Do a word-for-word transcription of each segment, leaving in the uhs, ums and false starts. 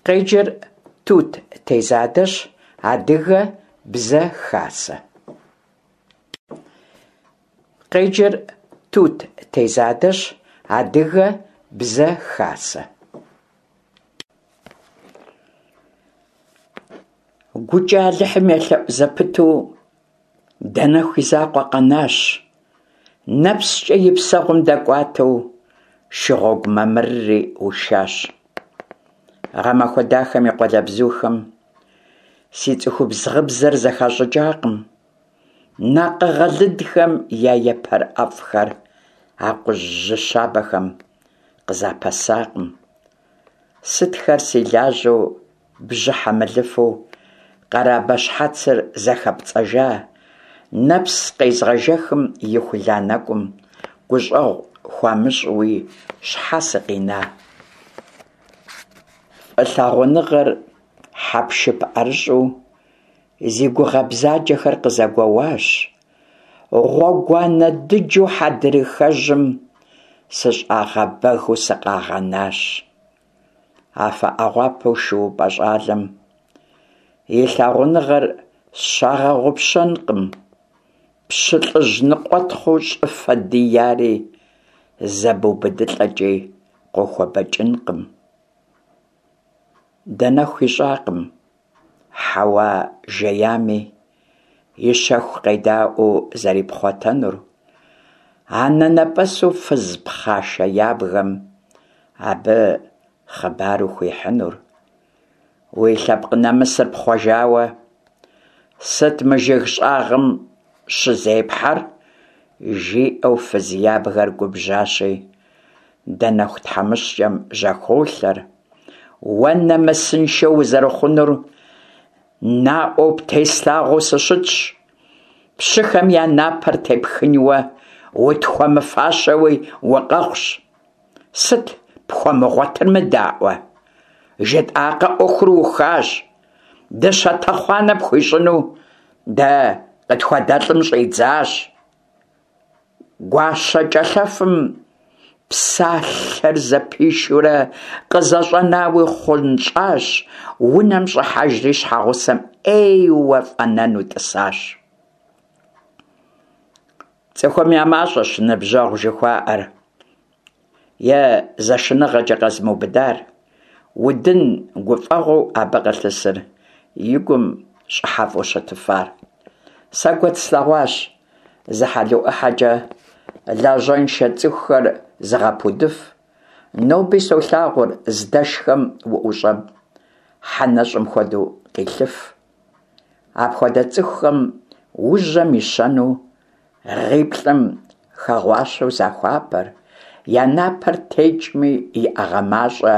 Къеджэр Тут Тезадэщ, Адыгэ Бзэ Хасэ. Къеджэр Тут Тезадэщ, Адыгэ Бзэ Хасэ. ГукӀэ Алыхьым елъэӀу зэпыту Данэху и закъуэ къэнащ, нэпскӀэ и псэгъум дэкӀуатэу, шыгъуэгу мамырри ушащ. Гъэмахуэ дахэм и къуалэбзухэм си цӀыхубз гъыбзэр зэхащӀыкӀакъым, накъыгъэ лыдхэм я епэр ӀэфӀхэр акъужь жьы щабэхэм къызапэсакъым. Сытхэр си лажьэу бжьыхьэ мылыфэу къэрабэ щхьэцыр зэхэпцӀэжа, нэпс къезгъэжэхым ихула нэкӀум гущӀэгъу хуамыщӀуи щхьэ сыкъина? ФӀылъагъуныгъэр хьэпшып ӀэрыщӀу зи гугъэ бзаджэхэр къызэгуэуащ, гъуэгуанэ дыджу хьэдрыхэжьым сыщӀагъэбэгыу сыкъагъэнащ. Афэ Ӏэгъуапэу шуупӀэ щӀалэм и лъагъуныгъэр сщагъэгъупщэнкъым, пщылӀыжь ныкъуэтхъуу щӀыфэ дияри зэбубыдылӀэкӀи къохуэбэкӀынкъым. Данэху ищӀакъым Хьэуа жеями и щэху къедаӀуэу зэрипхъуэтэнур, анэнэпӀэсу фыз пхъашэ ябгэм абы хъыбару хуихьынур. Уи лъэпкъ нэмысыр пхъуэжауэ, сыт мы жыг щӀагъым щызепхьэр? жиӀэу фыз ябгэр губжьащи, Данэху тхьэмыщкӀэм жьэхолъэр. Уэ нэмысыншэ узэрыхъунур наӀуэу птеслъагъуэу сыщытщ, пщыхэм я напэр тепхынуэ утхуэмыфащэуи укъэхъущ. Сыт пхуэмыгъуэтыр мыдаӀуэ? ЖытӀакъэ, Ӏуэхур ухащ, дыщэ тэхъуанэ пхуищӀыну дэ къытхуэдэлӀым щӀидзащ. ГуащэкӀэлъэфым псалъэр зэпишурэ къызэщӀэнауи хъунщӀащ, унэм щӀыхьэжри щхьэгъусэм Ӏейуэ фӀэнэну тӀысащ. ЦӀыхум я мащӀэщ ныбжьэгъу жыхуаӀэр е зэшыныгъэкӀэ къэзымыубыдар, удын гуфӀэгъуэу абы къылъысыр и гум щӀыхьэфӀу щытыфар. Сэ куэд слъэгъуащ зы хьэлуӀыхьэкӀэ лажьэншэ цӀыхухэр зыгъэпудыф, ноби солъагъур здэшхэм уӀущӀэм хьэ нэщӀым хуэдэу къилъыф. Апхуэдэ цӀыхухэм ужьэм ищэну гъиплӀым хэгъуащэу захуапэр, я напэр текӀми, иӀэгъэ мащӀэ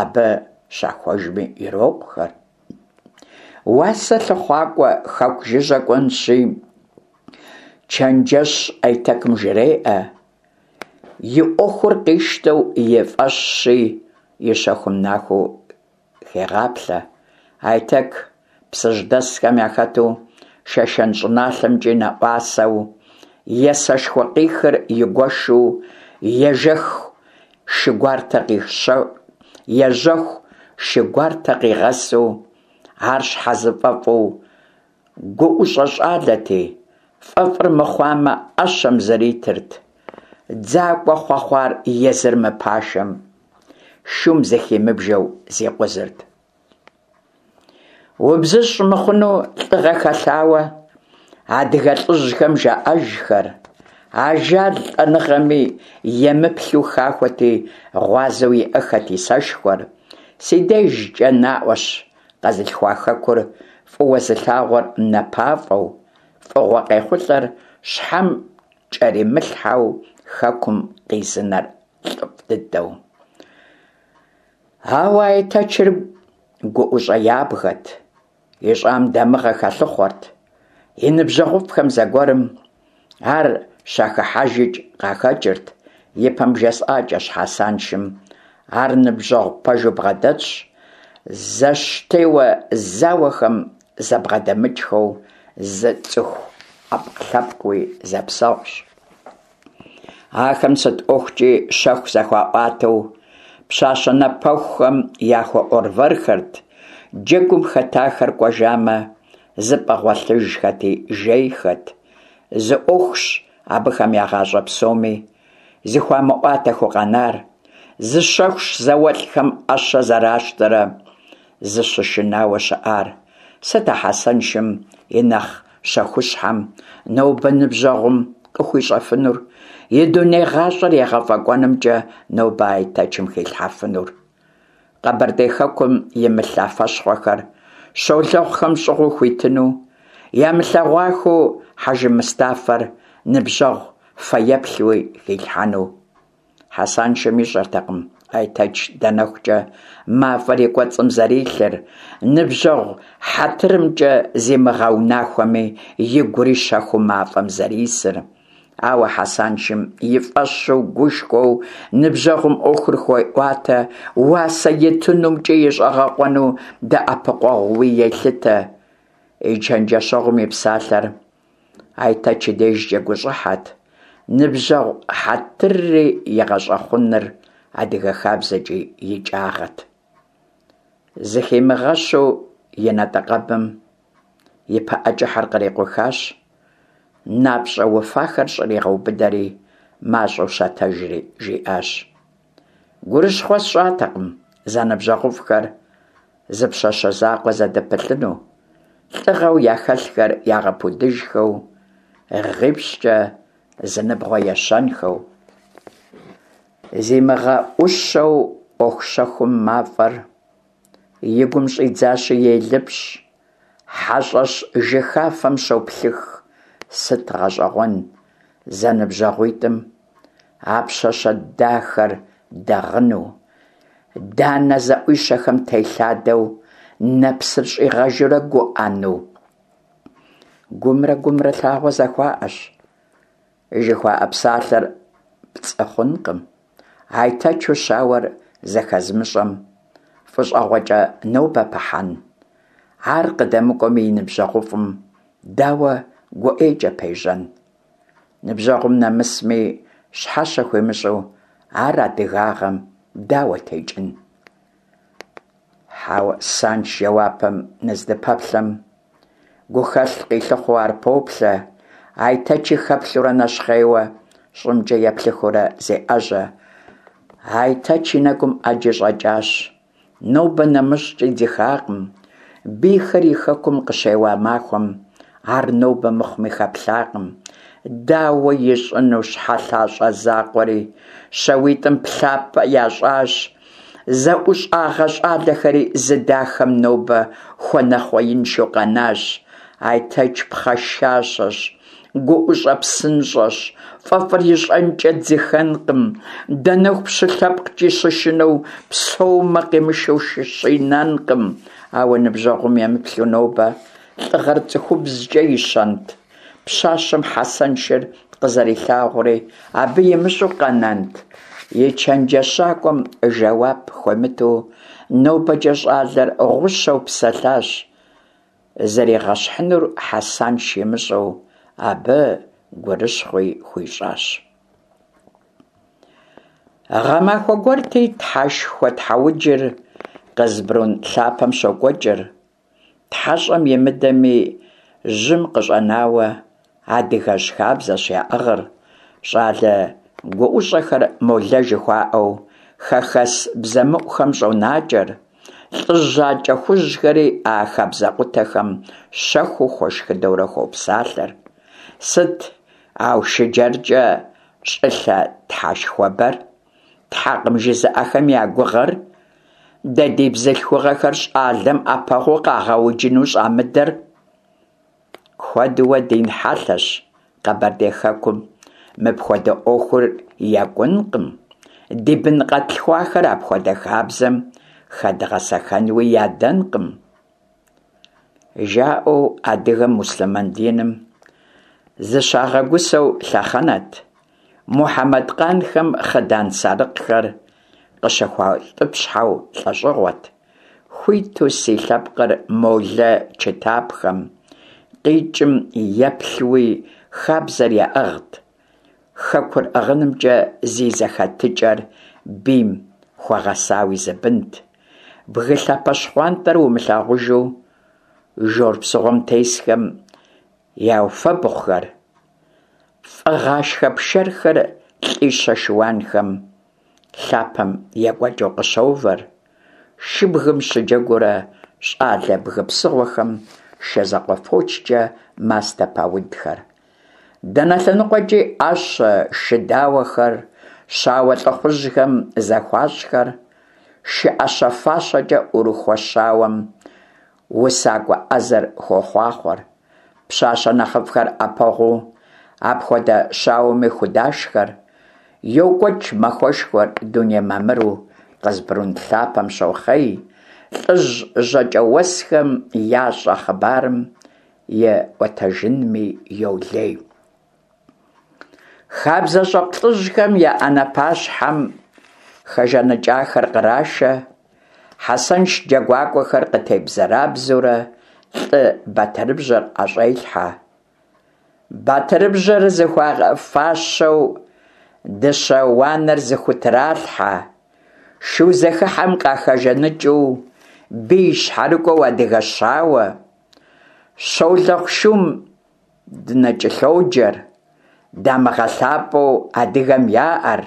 абы щахуэжми ирокъухэр. Уасэ лъыхъуакӀуэ хэку жыжьэ кӀуэнщи, чэнджэщ Айтэкым жреӀэ, и Ӏуэхур къищтэу и фӀэщщи, и щэхум нахуэу хегъаплъэ. Айтэк псыжьдэсхэм яхэту, Шэшэн щӀыналъэмкӀи нэӀуасэу, есэшхуэ къихыр игуэшу, ежэху шы гуартэ ежьэху шы гуартэ къигъэсу, ар щхьэзыфӀэфӀу гуӀущӀэ щӀалэти, фӀэфӀыр мыхъуамэ, Ӏэщэм зритырт. ДзакӀуэ хъуэхъуар езыр мыпашэм, шум зыхимыбжэу зикъузырт. УбзыщӀ мыхъуну лӀыгъэ хэлъауэ адыгэ лӀыжьхэм жаӀэжхэр, ажал лӀэныгъэми емыплъу хахуэти, гъуазэу иӀэххэт и сэшхуэр. Си дежкӀэ наӀуэщ къэзылъхуа хэкур фӀыуэ зылъагъур напафӀэу, фӀыгъуэ къехъулӀэр щхьэм кӀэримылъхьэу хэкум къизынэр лӀыфӀ дыдэу. Ауэ Айтэчыр гуӀущӀэ ябгэт, ищӀам дамыгъэ хэлъыхъуэрт. И ныбжьэгъуфӀхэм зэгуэрым ар щахыхьэжыкӀ къахэкӀырт. Ипэм бжесӀакӀэщ Хьэсаншым ар ныбжьэгъу пэжу бгъэдэтщ, зэштеуэ зауэхэм зэбгъэдэмыкӀхэу зы цӀыху Ӏэпкълъэпкъыуи зэпсэгъущ. Ахэм сыт ӀуэхукӀи щэху зэхуаӀуатэу, Пщащэ напэхухэм яхуэӀуэрвэрхэрт, джэгум хэтахэр кӀуэжамэ, зы пӀэ гъуэлъыжхэти жейхэт. Зы Ӏуэхущ абыхэм я гъащӀэ псоми зыхуамыӀуатэхэу къэнар, зы щэхущ зауэлӀхэм Ӏэщэ зэращтэрэ зыщышынауэ щыӀар. Сыт а Хьэсэншым и нэхъ щэхущхьэм нобэ ныбжьэгъум къыхуищӀэфынур, и дуней гъащӀэр егъэфӀэкӀуэнымкӀэ нобэ Айтэчым хилъхьэфынур? Къэбэрдей хэкум имылъ афэщхъуэхэр щолэхъухэм щӀыгъуу хуитыну, ямылъэгъуахэу Хьэжы-Мыстафэр ныбжьэгъу фэеплъуи хилъхьэну? Хьэсаншым ищӀэртэкъым Айтэч ДанэхукӀэ мафӀэр и кӀуэцӀым зэрилъыр, ныбжьэгъу хьэтырымкӀэ зимыгъэунахуэми, игури щэхуу мафӀэм зэрисыр. Ауэ Хьэсаншым и фӀэщу гушхуэу ныбжьэгъум Ӏуэхур хуеӀуатэ, уасэ итынумкӀи и щӀэгъэкъуэну дэӀэпыкъуэгъууи елъытэ. И чэнджэщэгъум и псалъэр Айтэч и дежкӀэ гущӀыхьэт, ныбжьэгъу хьэтырри игъэщӀэхъуныр адыгэ хабзэкӀи икӀагъэт. Зыхимыгъэщу и натӀэкъэбым и пыӀэ кӀыхьыр кърикъухащ, напщӀэ уфахэр щӀригъэубыдэри, мащӀэу щэтэжри жиӀащ: «Гурыщхъуэ сщӀатэкъым зэныбжьэгъуфӀхэр зы пщащэ закъуэ зэдыпылъыну, лӀыгъэу яхэлъхэр ягъэпудыжхэу, гъипщӀкӀэ зы ныбгъуэ ещэнхэу». ЗимыгъэӀущэу Ӏуэху щэхум мафӀэр и гум щӀидзащи елыпщӀ, хьэщӀэщ жыхафэм щоплъых. Сыт гъэщӀэгъуэн зэныбжьэгъуитӀым а пщащэ дахэр дэгъыну, данэ зэӀуищэхэм телъадэу нэпсыр щӀигъэжурэ гуӀэну? Гумрэ гумрэ лъагъуэ зэхуаӀэщ жыхуаӀэ псалъэр пцӀы хъункъым. Айтэчу щауэр зэхэзымыщӀэм фӀыщӀэгъуэкӀэ нобэ пыхьэн? Ар къыдэмыкӀуэми и ныбжьэгъуфӀым дауэ гуӀейкӀэ пежьэн? Ныбжьэгъум нэмысми щхьэщэ хуимыщӀу ар адыгагъэм дауэ текӀын? Хьэсанш жэуапым ныздыпэплъэм, гухэлъ къилъыхъуэу ар поплъэ, Айтэчи хэплъэурэ нэщхъейуэ щӀымкӀэ еплъыхыурэ зеӀэжьэ. Айтэч и нэгум Ӏэджи щӀэкӀащ, нобэ нэмыщӀкӀи дзыхакъым. Бийхэр и хэкум къыщеуа махуэм ар нобэ мыхъуми хэплъакъым. Дауэ ищӀыну щхьэлъащӀэ закъуэри, щауитӀым плъапӀэ ящӀащ. ЗэӀущӀагъэ щӀалэхэри зы дахэм нобэ хуэнэхъуеиншэу къэнащ. Айтэч пхъашащэщ, гуӀущӀэ псынщӀэщ, фӀэфӀыр ищӀэнкӀэ дзыхэнкъым. Данэху пщы лъэпкъкӀи щышынэу псэумэ, къимышэу щинэнкъым. Ауэ ныбжьэгъум емыплъу нобэ лӀыгъэр цӀыхубзкӀэ ищэнт? Пщащэм Хьэсэншыр къызэрилъагъури абы имыщӀэу къэнэнт? И чэнджэщакӀуэм жэуап хуемыту нобэкӀэ щӀалэр гъущэу псэлъащ, зэригъэщхьынур Хьэсанш имыщӀэу абы гурыщхъуи хуищӀащ. Гъэмахуэ гуэрти, Тхьэшхуэ тхьэуджыр Къызбрун лъапэм щокӀуэкӀыр. ТхьэщӀэм имыдэми, жьым къыщӀэнауэ адыгэжь хабзэщ яӀыгъыр. ЩӀалэ гуӀущӀэхэр молэ жыхуаӀэу хэхэс бзэмыӀухэм щӀонакӀэр. ЛӀыжь жьакӀэ хужьхэри а хабзэкъутэхэм щэхуу хуэшхыдэурэ хуопсалъэр. Сыт АушыджэркӀэ щӀылъэ тхьэшхуэбэр? Тхьэкъым жызыӀэхэм я гугъэр? Дэ ди бзылъхугъэхэр щӀалэм Ӏэпэгъуу къагъэуджыну щӀамыдэр? Куэдууэ дин хьэлъэщ Къэбэрдей хэкум, мыпхуэдэ Ӏуэхур екӀункъым, ди бын къэтлъхуахэр апхуэдэ хабзэм хэдгъэсэхэнуи ядэнкъым. ЖаӀэу адыгэм муслъымэн диным зыщагъэгусэу лъэхъэнэт. Мухьэмэдкъанхэм хъыдан сарыкъхэр къыщыхуаутӀыпщхьэу лӀэщӀыгъуэт. Хуиту си лъэпкъыр молэ чытапхэм къикӀым еплъуи хабзэр яӀыгът. Хэкур ӀыгъынымкӀэ зи зэхэтыкӀэр бийм хуэгъэсауи зы бынт. Бгы лъапэ щхъуантӀэр умылъагъужу жор псыгъуэм тесхэм яуфэбгъухэр, фӀыгъашхэ пшэрхэр лӀищэ шыуанхэм лъапэм екӀуэкӀыу къыщовэр, шыбгым щыджэгуурэ щӀалэ бгы псыгъуэхэм шабзэкъуэ фочкӀэ мастэ паудхэр. Дэнэ лъэныкъуэкӀи Ӏэщэ, шы дауэхэр щауэ лӀыхъужьхэм зэхуащӀхэр, шы Ӏэщэ-фащэкӀэ Ӏурыхуэ щауэм усакӀуэ Ӏэзэр хуохъуахъуэр. Пщащэ нэхъыфӀхэр Ӏэпэгъуу апхуэдэ щауэми худашхэр. ЙокӀуэкӀ махуэшхуэр дуней мамыру, Къызбрун лъапэм щохъей, лӀыжь жьакӀэуэсхэм ящӀэ хъыбарым и Ӏуэтэжынми йолей. ХабзэщӀэкъу лӀыжьхэм я Ӏэнэ пащхьэм хэжаныкӀахэр кърашэ, Хьэсэнш джэгуакӀуэхэр къытебзэрабзэурэ лӀы батырыбжьэр ӀэщӀелъхьэ. Батырыбжьэр зыхуагъэфащэу дыщэ уанэр зыхутралъхьэ, шу зэхыхьэм къахэжаныкӀыу бий щхьэрыкӀуэу адыгэ щауэ, Щолэхъу шум дынэкӀэлъоджэр, дамыгъэ лъапӀэу адыгэм яӀэр,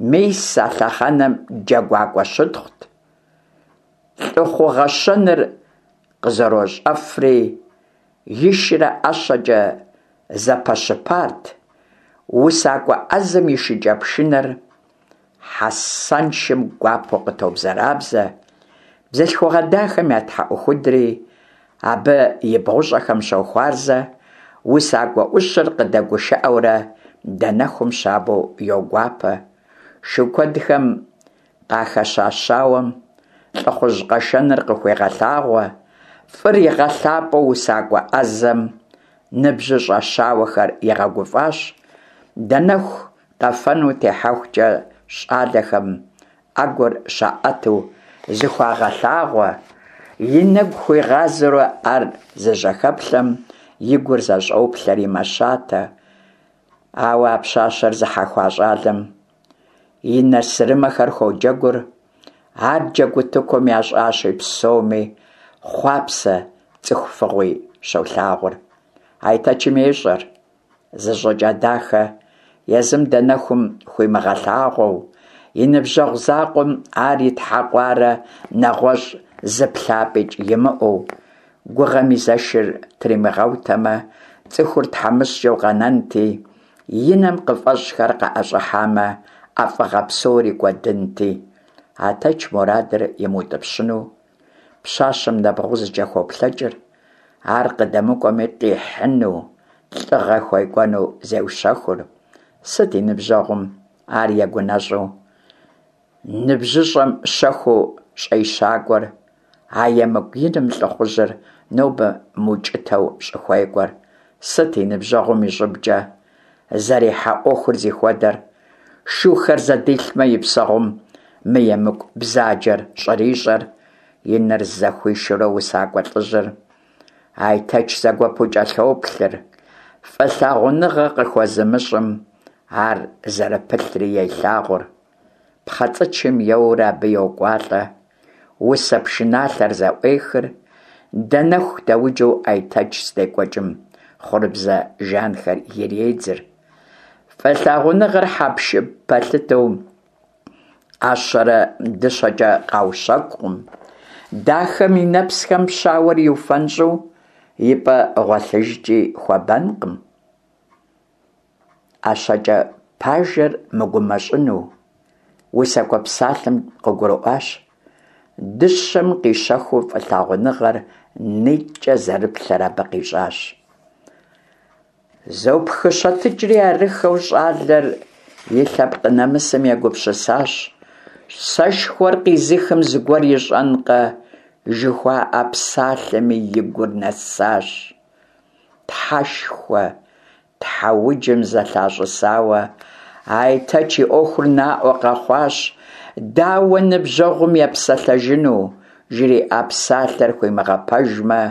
мис а лъэхъэнэм джэгуакӀуэ щытхъут. ЛӀыхъугъэ щэныр къызэрощӀэфри, и шырэ ӀэщэкӀэ зэпэщыпарт. УсакӀуэ Ӏэзэм и шыкӀэпшынэр Хьэсэншым гуапэу къытобзэрабзэ, бзылъхугъэ дахэм я тхьэӀухудри абы и бгъущӀэхэм щохуарзэ, усакӀуэ Ӏущыр къыдэгушыӀэурэ Данэхум щабэу йогуапэ. Шу куэдхэм къахэща щауэм лӀыхъужь къэшэныр къыхуегъэлъагъуэ, фӀыр игъэлъапӀэу усакӀуэ Ӏэзэм ныбжьыщӀэ щауэхэр игъэгуфӀащ. Данэху къэфэну техьэхукӀэ щӀалэхэм Ӏэгур щаӀэту зыхуагъэлъагъуэ, и нэгу хуигъазэурэ ар зыжьэхэплъэм и гур зэщӀоплъэри мэщатэ. Ауэ а пщащэр зыхьэхуа щӀалэм и нэ сырымэхэр хуоджэгур, ар джэгутыкум ящӀащи псоми хъуапсэ цӀыху фӀыгъуи щолъагъур. Айтэчым ещӀэр, зы щӀыкӀэ дахэ езым Данэхум хуимыгъэлъагъуэу, и ныбжьэгъу закъуэм ар итхьэкъуарэ нэгъуэщӀ зы плъапӀикӀ имыӀэу, гугъэм и зэшыр тримыгъэутэмэ, цӀыхур тхьэмыщкӀэу къэнэнти, и нэм къыфӀэщӀхэр къыӀэщӀыхьамэ, ӀэфӀыгъэ псори кӀуэдынти. Айтэч мурадыр имыутӀыпщыну пщащэм нэбгъузкӀэ хуоплъэкӀыр, ар къыдэмыкӀуэми къихьыну, лӀыгъэ хуекӀуэну зеущэхур. Сыт и ныбжьэгъум ар егунэщӀу ныбжьыщӀэм щэхуу щӀещакӀуэр, а емыкӀу иным лӀыхъужьыр нобэ мыукӀытэу щӀыхуекӀуэр? Сыт и ныбжьэгъум и щӀыбкӀэ зэрихьэ Ӏуэхур зыхуэдэр? Шухэр зэдилъмэ, и псэгъум мы емыкӀу бзаджэр щӀрищӀэр? И нэр зэхуишурэ усакӀуэ лӀыжьыр Айтэч зэгуэпу кӀэлъоплъыр, фӀылъагъуныгъэ къыхуэзымыщӀым ар зэрыпылъри елъагъур. ПхъэцӀычым еуэурэ абы йокӀуалӀэ, усэ пшыналъэр зэӀуехыр, Данэху дэуджу Айтэч здекӀуэкӀым хъурыбзэ жанхэр иредзыр. ФӀылъагъуныгъэр хьэпшып пэлъытэу Ӏэщэрэ дыщэкӀэ къаущэкӀукъым. Дахэм и нэпсхэм щауэр иуфэнщӀу и пӀэ гъуэлъыжкӀи хуэбэнкъым. ӀэщэкӀэ пажэр мыгумэщӀыну усакӀуэ псалъэм къыгурыӀуащ. Дыщэм къищэхуу фӀылъагъуныгъэр нитӀкӀэ зэрыплъэр абы къищӀащ. ЗопхыщэтыкӀри арыххэу щӀалэр и лъэпкъ нэмысым егупсысащ. Сэшхуэр къизыхым зыгуэр ищӀэнкъэ, жыхуаӀэ псалъэми и гур нэсащ. Тхьэшхуэ, тхьэуджым зэлъащӀысауэ, Айтэч и Ӏуэхур наӀуэ къэхъуащ. Дауэ ныбжьэгъум епсэлъэжыну, жриӀа псалъэр хуимыгъэпэжмэ?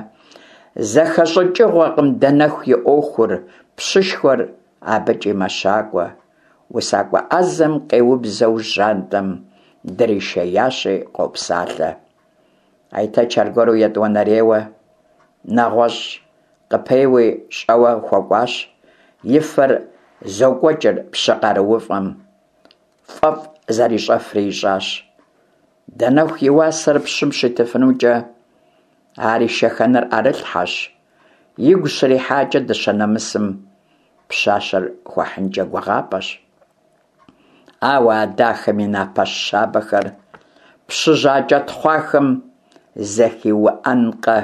ЗэхэщӀыкӀыгъуэкъым Данэху и Ӏуэхур, пщышхуэр абыкӀи мэщакӀуэ. УсакӀуэ Ӏэзэм къеубзэу жьантӀэм дришеящи, къопсалъэ. Айтэч аргуэру етӀуанэрейуэ нэгъуэщӀ къыпеуи щӀэуэ хуэкӀуащ, и фэр зокӀуэкӀыр пщы къарууфӀэм, фӀэфӀ зэрищӀэфри ищӀащ. Данэху и уасэр пщым щитыфынукӀэ, ар ишэхэныр Ӏэрылъхьэщ, игу щрихьакӀэ дыщэ нэмысым, пщащэр хуэхьынкӀэ гугъапӀэщ. Ауэ а дахэм и напэ щабэхэр пщы жьакӀэ тхъуахэм зэхиуӀэнкъэ,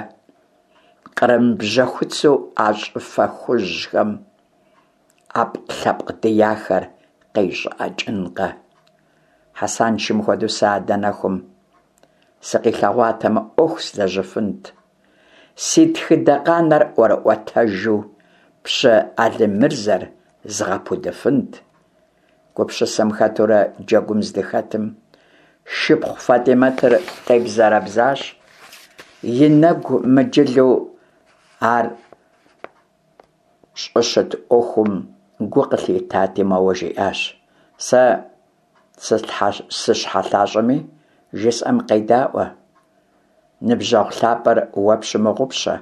кърым бжьэхуцу а щӀыфэ хужьхэм Ӏэпкълъэпкъ дияхэр къищӀыӀэкӀынкъэ. Хьэсаншым хуэдэу сэ а Данэхум сыкъилъэгъуатэмэ, Ӏуэху злэжьыфынт. Си тхыдэ къанэр ӀуэрыӀуэтэжу пщы Алимырзэр згъэпудыфынт. Гупсысэм хэтурэ джэгум здыхэтым, шыпхъу ФатӀимэтыр къебзэрэбзащ, и нэгу мыджылу ар щӀыщыт Ӏуэхум гу къылъитати, моуэ жиӀащ: «Сэ сыщхьэлъащӀэми, жысӀэм къедаӀуэ, ныбжьэгъу лъапӀэр уэ пщымыгъупщэ.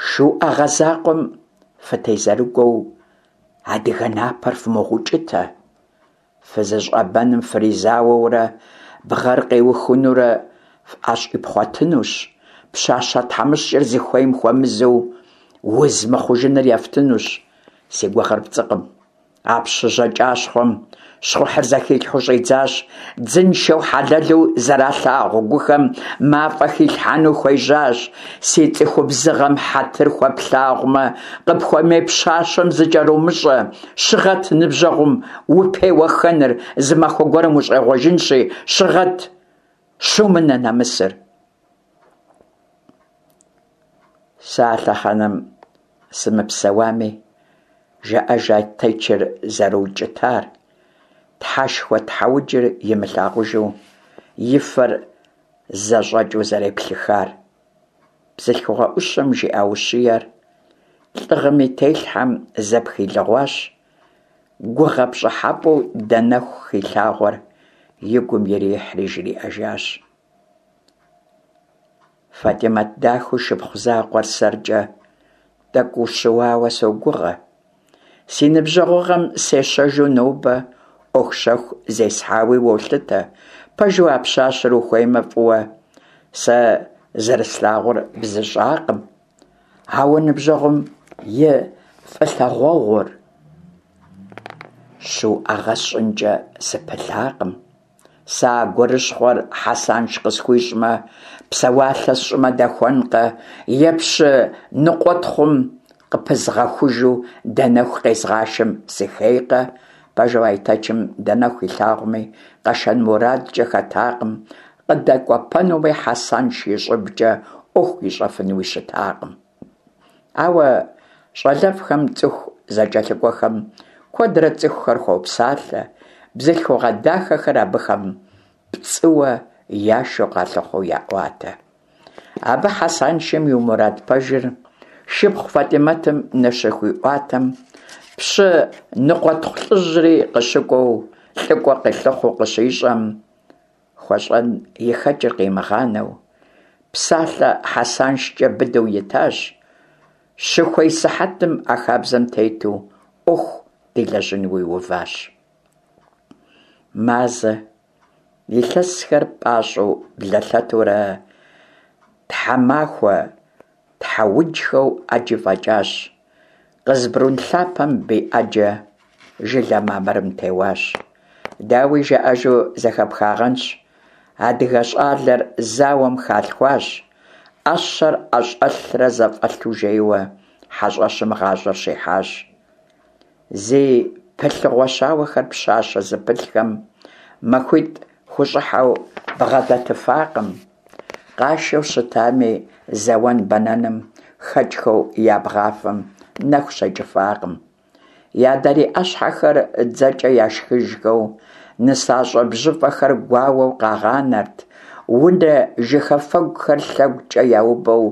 ШуӀэгъэ закъуэм фытезэрыгуэу адыгэ напэр фымыгъэукӀытэ. ФызыщӀэбэным фризауэурэ бгъэр къиухынурэ фӀэщӀипхъуэтынущ, пщащэ тхьэмыщкӀэр зыхуейм хуэмызэу уз мыхъужыныр ефтынущ. Си гугъэр пцӀыкъым. А пщы жьакӀащхъуэм щхъухьыр зэхилъхьэу щӀидзащ, дзыншэу хьэлэлу зэралъагъу гухэм мафӀэ хилъхьэну хуежьащ. Си цӀыхубзыгъэм хьэтыр хуэплъагъумэ, къыпхуэмей пщащэм зыкӀэрумыщӀэ. Щыгъэт ныбжьэгъум упеуэххэныр, зы махуэ гуэрым ущӀегъуэжынщи, щыгъэт, щумынэ нэмысыр. Сэ а лъэхъэнэм сымыпсэуами, жаӀэж Айтэчыр зэрыукӀытар, Тхьэшхуэ тхьэуджыр имылъагъужу и фэр зэщӀэкӀыу зэреплъыхар. Бзылъхугъэ Ӏущым жиӀа ущиер лӀыгъэм и телъхьэм зэпхилыгъуащ, гугъэ пщӀыхьэпӀэу Данэху хилъагъуэр и гум ирихьри жриӀэжащ: «ФатӀимэт дахэу шыпхъу закъуэр сэркӀэ тӀэкӀу ущыуауэ согугъэ. Си ныбжьэгъугъэм сещэжу нобэ Ӏуэху щэху зесхьауи уолъытэ. Пэжу а пщащэр ухуеймэ фӀыуэ сэ зэрыслъагъур бзыщӀакъым. Ауэ ныбжьэгъум и фӀылъагъуэгъур щуӀэгъэ сщӀынкӀэ сыпылъакъым. Сэ а гурыщхъуэр Хьэсанш къысхуищӀмэ, псэуалъэ сщӀымэ дэхуэнкъэ, е пщы ныкъуэтхъум къыпызгъэхужу Данэху къезгъашэм сыхейкъэ?» Пэжу, Айтэчым Данэху илъагъуми, къэшэн мурадкӀэ хэтакъым, къыдэкӀуэпэнуи, Хьэсанш и щӀыбкӀэ Ӏуэху ищӀэфынуи щытакъым. Ауэ щӀалэфӀхэм цӀыху зэкӀэлъыкӀуэхэм куэдрэ цӀыхухэр хуопсалъэ, бзылъхугъэ дахэхэр абыхэм пцӀыуэ яшэу къалъыхъуэу яӀуатэ. Абы Хьэсаншым и мурад пэжыр шыпхъу ФатӀимэтым ныщыхуиӀуатэм, пщы ныкъуэтхъу лӀыжьри къыщыкӀуэу лӀыкӀуэ къилъыхъуэу къыщищӀэм, хуэщӀэн и хэкӀыр къимыгъанэу, псалъэ ХьэсаншкӀэ быдэу итащ, щыхуей сыхьэтым а хабзэм тету Ӏуэху дилэжьынуи уващ. Мазэ, илъэсхэр пӀащӀэу блэлъэтурэ, тхьэмахуэ тхьэуджхэу Ӏэджи фӀэкӀащ. Къызбрун лъапэм бий Ӏэджэ жылэ мамырым теуащ. Дауи, жаӀэжу зэхэпхагъэнщ: адыгэ щӀалэр зауэм халъхуащ, Ӏэщэр ӀэщӀэлърэ зэфӀэлъу жейуэ хьэщӀэщым гъащӀэр щихьащ. Зи пылъыгъуэ щауэхэр пщащэ зыпылъхэм махуитӀ хущӀыхьэу бгъэдэтыфакъым. Къашэу щытами, зэуэн-бэнэным хэкӀхэу я бгъафэм нэху щекӀыфакъым. Я дарий Ӏэщхьэхэр дзэкӀэ яшхыжхэу, нысащӀэ бжьыфӀэхэр гуауэу къагъанэрт, унэ жыхафэгухэр лъэгукӀэ яубэу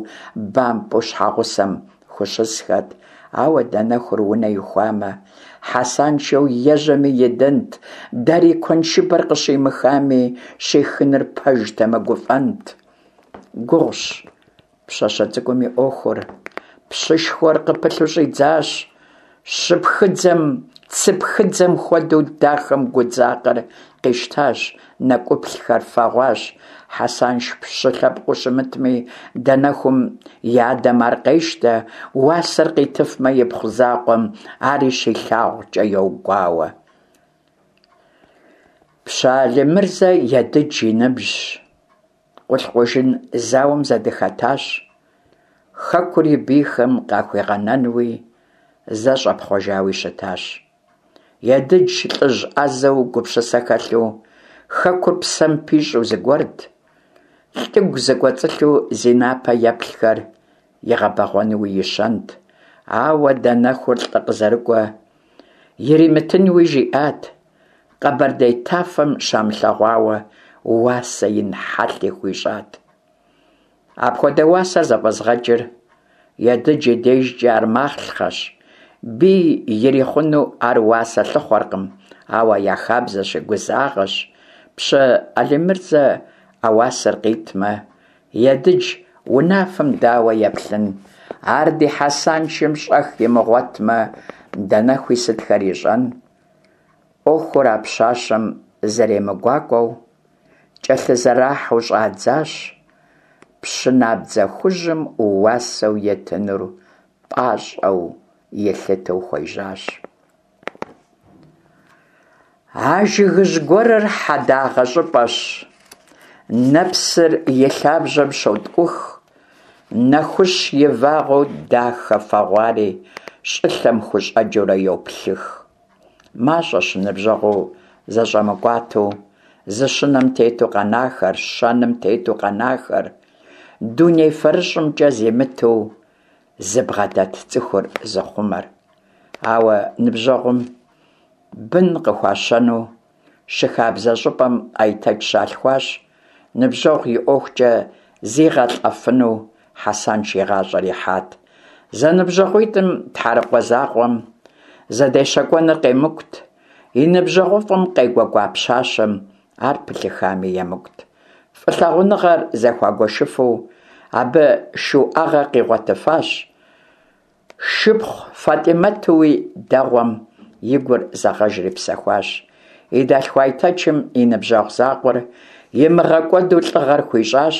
бампӀэу щхьэгъусэм хущысхэт. Ауэ Данэхур унэ ихуамэ, Хьэсаншэу ежьэми идэнт, дарий куэншыбэр къыщимыхами, щихыныр пэжтэмэ, гуфӏэнт. Гугъущ пщащэ цӏыкӏум и ӏуэхур, пщышхуэр къыпылъу щӏидзащ. Щыпхыдзэм, цыпхыдзэм хуэдэу дахэм гудзакъэр къищтащ, нэкӏуплъхэр фэгъуащ. Хьэсанш пщы лъэпкъыу щымытми, Данэхум и адэм ар къещтэ, уасэр къитыфмэ ипхъу закъуэм, ари щилъагъукӏэ йогуауэ. Пщы Алимырзэ Едыдж и ныбжьщ. Къулъкъужын зауэм зэдыхэтащ. Хэкур и бийхэм къахуигъэнэнуи зэ щӏэпхъуэжауи щытащ. Едыдж лӏыжь ӏэзэу, гупсысэ хэлъу, хэкур псэм пищӏу зыгуэрт. Лӏыгу зыкӏуэцӏылъу зи напэ еплъхэр игъэбэгъуэнуи и щэнт. Ауэ Данэхур лӏы къызэрыкӏуэ иримытынуи жиӏат. Къэбэрдей тафэм щамылъэгъуауэ уасэ ин хьэлъи хуищӏат. Апхуэдэ уасэр зэфӏэзыгъэкӏыр Едыдж и дежкӏэ ар махълъэщ. Бий ирихъуну ар уасэ лъыхъуэркъым, ауэ я хабзэщи, гузагъэщ. Пщы Алимырзэ а уасэр къитмэ, Едыдж унафэм дауэ еплъын? Ар ди Хьэсаншым щӏэх имыгъуэтмэ, Данэхуи сытхэр ищӏэн? Ӏуэхур а пщащэм зэремыгуакӏуэу кӏэлъызэрахьэу щӏадзащ. Пщы набдзэ хужьым уасэу итынур пӏащӏэу илъытэу хуежьащ. А жыгыжь гуэрыр хьэдагъэ щӏыпӏэщ, нэпсыр и лъабжьэм щоткӏух, нэхущ и вагъуэу дахэ фэгъуари щӏылъэм хущӏэкӏыурэ йоплъых. Мащӏэщ ныбжьэгъуу зэщӏэмыкӏуатэу, зы щынэм тету къэнахэр, щэным тету къэнахэр, дуней фэрыщӏымкӏэ зимыту зыбгъэдэт цӏыхур зыхъумэр. Ауэ ныбжьэгъум бын къыхуащэну щыхабзэ щӏыпӏэм Айтэч щалъхуащ, ныбжьэгъу и ӏуэхукӏэ зигъэлӏэфыну Хьэсанш и гъащӏэр ихьат. Зэныбжьэгъуитӏым тхьэрыкъуэ закъуэм зэдещэкӏуэныр къемыкӏут, и ныбжьэгъуфӏым къегуэкӏуа пщащэм ар пылъыхами емыкӏут. Фӏылъагъуныгъэр зэхуагуэшыфу абы шуӏэгъэ къигъуэтыфащ. Шыпхъу Фатӏимэтуи дэгъуэм и гур зэгъэжри псэхуащ. И дэлъху Айтэчым и ныбжьэгъу закъуэр имыгъэкӏуэду лӏыгъэр хуищӏащ,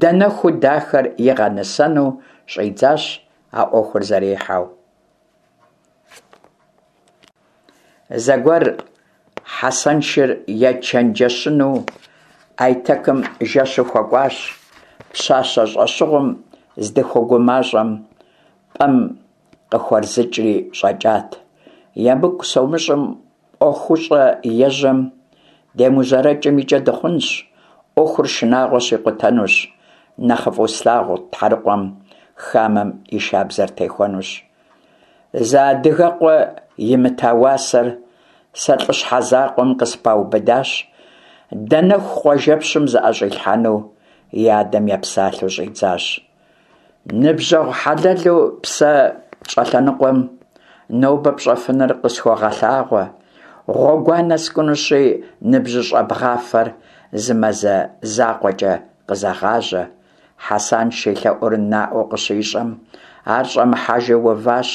Данэхуу дахэр игъэнысэну щӏидзащ а ӏуэхур зэрихьэу. Зэгуэр Хьэсэншыр ечэнджэщыну Айтэкым жэщу хуэкӏуащ. Пщащэ щӏэщыгъуэм здыхуэгумащӏэм, пӏэм къыхуэрзыкӏри щӏэкӏат. Емыкӏу сомыщӏым, ӏуэхущӏэ ежьэм демыужьэрэкӏым и кӏэ дыхъунщ, ӏуэхур шынагъуэщи, къутэнущ, нэхъыфӏу слъагъу тхьэрыкъуэм хамэм и шабзэр техуэнущ. Зы адыгэкъуэ имыта уасэр сэ лӏыщхьэ закъуэм къыспаубыдащ, Данэху къуажэпщым зыӏэщӏилъхьэну и адэм епсалъэу щӏидзащ. Ныбжьэгъу хьэлэлу псэ щӏэлъэныкъуэм нобэ пщӏэфыныр къысхуэгъэлъагъуэ. Гъуэгуанэ скӏунущи, ныбжьыщӏэ бгъафэр зы мазэ закъуэкӏэ къызэгъажьэ. Хьэсанш и лъэӏур наӏуэу къыщищӏэм, ар щӏэмыхьэжу уващ.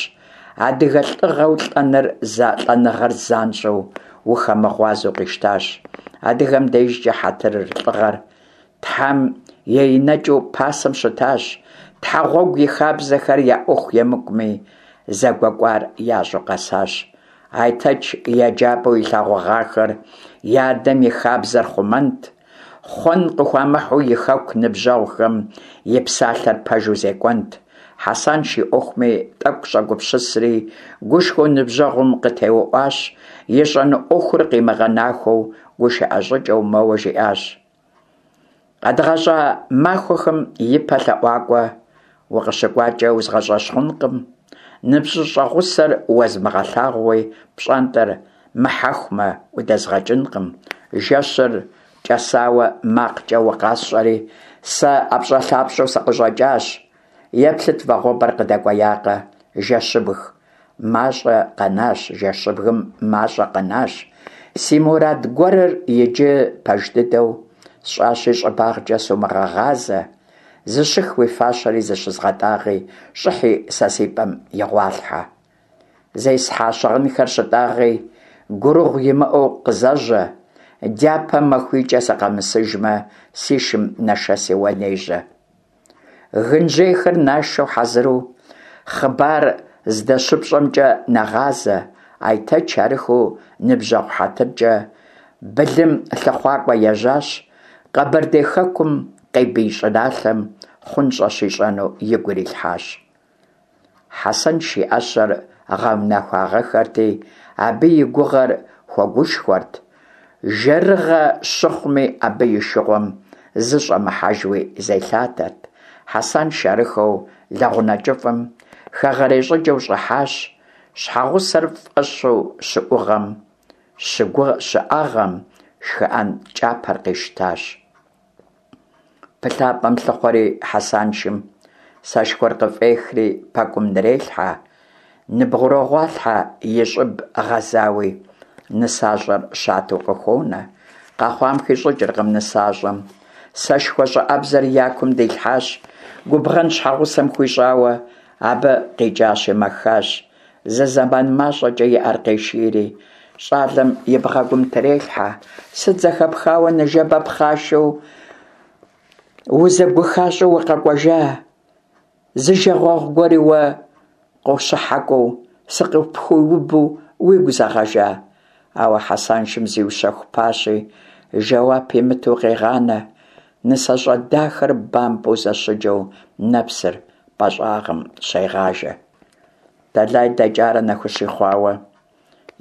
Адыгэ лӏыгъэу лӏэныр лӏэныгъэр занщӏэу ухэмыгъуазэу къищтащ. Адыгэм дежкӏэ хьэтырыр, лӏыгъэр Тхьэм еинэкӏыу пасэм щытащ. Тхьэгъуэгу и хабзэхэр я ӏуэху емыкӏуми, зэгуэкӏуар ящӏу къэсащ. Айтэч еджапӏэу илъэгъугъахэр и адэм и хабзэр хъумэнт. Хъуэн къыхуамыхьу и хэку ныбжьэгъухэм и псалъэр пэжу зекӏуэнт. Хьэсанш и ӏуэхуми тӏэкӏу щӏэгупсысри, гушхуэу ныбжьэгъум къытеуӏуащ, ищӏэну ӏуэхур къимыгъэнахуэу гушыӏэ щӏыкӏэу мэуэ жиӏащ. Къэдгъэщӏа махуэхэм ипэ лъэӏуакӏуэ укъыщыкӏуакӏэ узгъэщӏэщхъункъым, ныбжьыщӏэ гъусэр уэзмыгъэлъагъууи пщӏантӏэр мыхьэхумэ удэзгъэкӏынкъым. Жэщыр кӏэсауэ макъкӏэ укъасщӏэри, сэ ӏэпщӏэлъапщӏэу сыкъыщӏэкӏащ. Еплъыт, вагъуэбэр къыдэкӏуеякъэ, жэщыбг, мащӏэ къэнащ, жэщыбгым мащӏэ къэнащ. Си мурад гуэрыр иджы пэж дыдэу сщӏащи, щӏыбагъкӏэ сумыгъэгъазэ. Зыщых уи фащэри зыщызгъэтӏагъи, щӏыхьи сэ си пӏэм игъуалъхьэ. Зесхьа щыгъынхэр щытӏагъи, гурыгъу имыӏэу къызэжьэ. Дяпэ махуийкӏэ сыкъэмысыжмэ, си шым нэшэси уэ нежьэ. Гынжьейхэр нашэу хьэзыру, хъыбар здэщыпщӏэмкӏэ нэгъазэ. Айтэч арыххэу ныбжьэгъу хьэтыркӏэ былым лъыхъуакӏуэ ежьащ, Къэбэрдей хэкум къебий щӏыналъэм хъунщӏэ щищӏэну игу ирилъхьащ. Хьэсэнш и ӏэщэр гъэунэхуагъэххэрти, абы и гугъэр хуэгушхуэрт, жэрыгъэ щыхъуми, абы и шыгъуэм зы щӏэмыхьэжуи зелъатэрт. Хьэсанш арыххэу лэгъунэ кӏыфӏым хэгъэрей щӏыкӏэу щӏыхьащ, щхьэгъусэр фӏэщу щыӏугъэм, щыӏэгъэм шхыӏэн кӏапэр къищтащ. Пылъапӏэм лъыхъуэри Хьэсаншым сэшхуэр къыфӏехри пэкӏум нрелъхьэ, ныбгъурогъуалъхьэ и щӏыб гъэзауи, нысащӏэр щатэу къыхуонэ. Къэхъуам хищӏыкӏыркъым нысащӏэм. Сэшхуэ щӏыӏэбзэр я кум дилъхьащ, губгъэн щхьэгъусэм хуищӏауэ, абы къикӏащи мэхащ. Зы зэман мащӏэкӏэ и ӏэр къешийри, щӏалэм и бгъэгум трелъхьэ. Сыт зэхэпхауэ ныжэбэ пхъашэу узэгухащӏэу укъэкӏуэжа? Зы жагъуэгъу гуэри уэ къощыхьэкӏуэу, сыкъыпхуиубу уигу зэгъэжа? Ауэ Хьэсаншым зиущэхупащи, жэуап имыту къегъанэ. НысащӀэ дахэр бампӀэу зэщыджэу нэпсыр пӀэ щӀагъым щегъажэ. Тэлай дэкӀарэ нэхущи хъуауэ,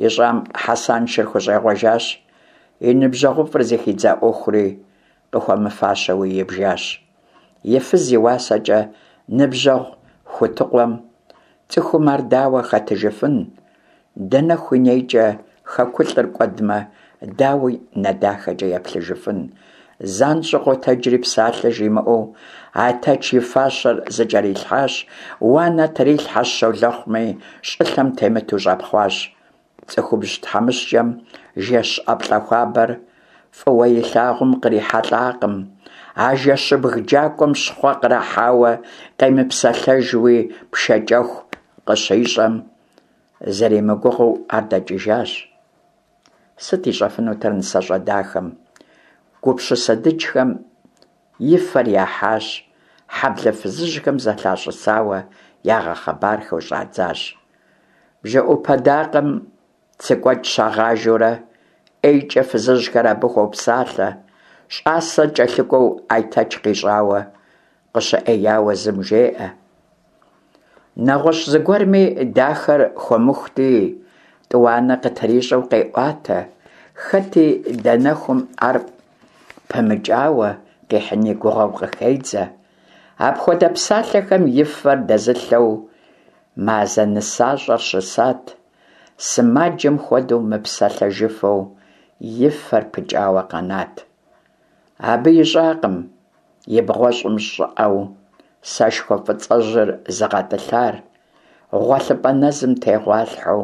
ищӀам Хьэсаншыр хущӀегъуэжащ, и ныбжьэгъуфӀыр зыхидза Ӏуэхури къыхуэмыфащэуи ибжащ. И фыз и уасэкӀэ ныбжьэгъу хутыкъуэм цӀыхум ар дауэ хэтыжыфын? Дэнэху и нейкӀэ хэкулӀыр кӀуэдмэ, дауи нэ дахэкӀэ еплъыжыфын? ЗанщӀэу къотэджри псалъэ жимыӀэу Айтэч и фащэр зыкӀэрилъхьащ, уанэ трилъхьэщ щолэхъуми, щӀылъэм темыту щӀэпхъуащ. ЦӀыхубз тхьэмыщкӀэм жэщ ӀэплӀэ хуабэр фӀыуэ илъагъум кърихьэлӀакъым. А жэщыбг джакӀуэм щхъуэ кърахьауэ къемыпсэлъэжуи пшэкӀэху къыщищӀэм, зэримыгугъэу ар дэкӀыжащ. Сыт ищӀэфынутэр нысащӀэ дахэм? Гупсысэ дыджхэм и фэр яхьащ, хьэблэ фызыжьхэм зэлъащӀысауэ ягъэхъыбархэу щӀадзащ. БжэӀупэ дакъэм цыкӀуэкӀ щагъажэурэ, ӀейкӀэ фызыжьхэр абы хуопсалъэ, щӀасэ кӀэлъыкӀуэу Айтэч къищӀауэ, къыщыӀеяуэ зым жеӀэ. НэгъуэщӀ зыгуэрми, дахэр хуэмыхути, тӀуанэ къытрищӀэу къеӀуатэ, хэти Данэхум ар пымыкӀауэ къихьын и гугъэу къыхедзэ. Апхуэдэ псалъэхэм и фэр дэзылъэу мазэ нысащӀэр щысат, сымаджэм хуэдэу мыпсэлъэжыфу и фэр пыкӀауэ къэнат. Абы ищӀакъым и бгъуэщӀым щӀыӀэу сэшхуэ фӀыцӀэжьыр зыгъэтӀылъар, гъуэлъыпӀэ нэзым тегъуалъхьэу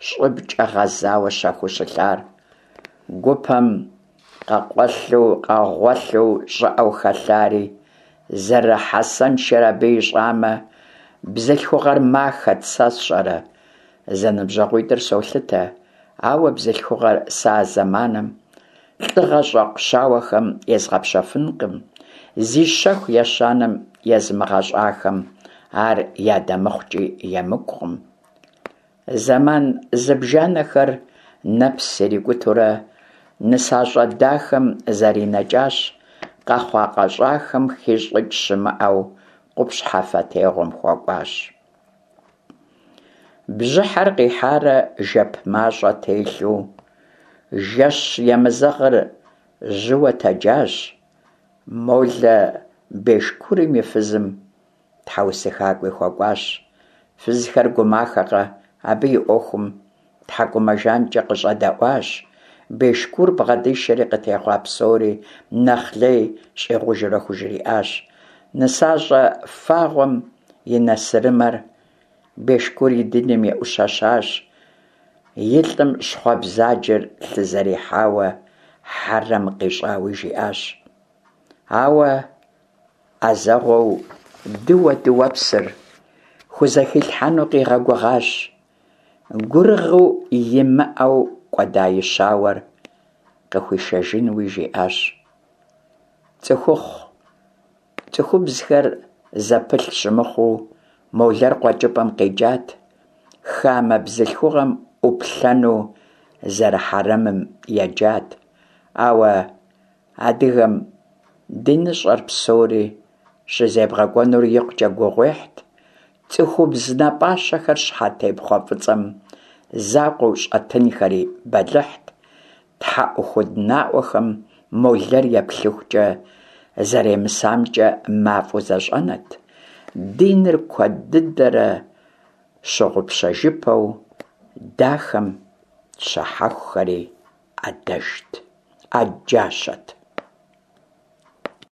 щӀыбкӀэ гъэзауэ щэхуу щылъар, гупэм къыкъуэлъу щӀыӀэу хэлъари. Зэры-Хьэсэншэр абы ищӀамэ, бзылъхугъэр махэт, сэ сщӀэрэ? ЗэныбжьэгъуитӀыр солъытэ, ауэ бзылъхугъэр сэ а зэманым лӀыгъэ щӀэкъу щауэхэм езгъэпщэфынкъым, зи щэху ещанэм езымыгъэщӀахэм ар ядэмыхъукӀи емыкӀукъым. Зэман зыбжанэхэр нэпс ирикӀутурэ нысащӀэ дахэм зэринэкӀащ, къэхъуа-къэщӀахэм хищӀыкӀ щымыӀэу къупщхьэфэтегъуэм хуэкӀуащ. Бжьыхьэр къихьарэ жэп мащӀэ телъу, жэщ емызэгъыр жьыуэ тэджащ. Молэ Бешкурым и фызым тхьэусыхакӀуи хуэкӀуащ. Фызхэр гумахэкъэ абы и Ӏуэхум тхьэкӀумэ жанкӀэ къыщӀэдэӀуащ. Бешкур бгъэдишэри къытехъуа псори нэхъ лей щӀигъужурэ хужриӀащ. НысащӀэ фагъуэм и нэсырымэр Бешкур и диным еӀущэщащ, и лӀым щхъуэ бзаджэр лъызэрихьауэ хьэрэм къищӀауи жиӀащ. Ауэ Ӏэзэгъуэу дыуэ дыуэпсыр хузэхилъхьэну къигъэгугъащ, гурыгъу имыӀэу кӀуэда и щауэр къыхуишэжынуи жиӀащ. ЦӀыхухъу, цӀыхубзхэр зэпылъ щымыхъуу, молэр къуэкӀыпӀэм къикӀат, хамэ бзылъхугъэм Ӏуплъэну зэрыхьэрэмым еджат, ауэ адыгэм диныщӀэр псори щызебгъэкӀуэнур икъукӀэ гугъуехьт, цӀыхубз нэ пӀащэхэр щхьэтепхъуэ фӀыцӀэм закъуэу щӀэтынхэри бэлыхьт, тхьэӀухуд наӀуэхэм молэр еплъыхукӀэ зэремысамкӀэ мафӀэу зэщӀэнат, диныр куэд дыдэрэ щыгъупщэжыпэу дахэм щахьэхухэри Ӏэджащэт.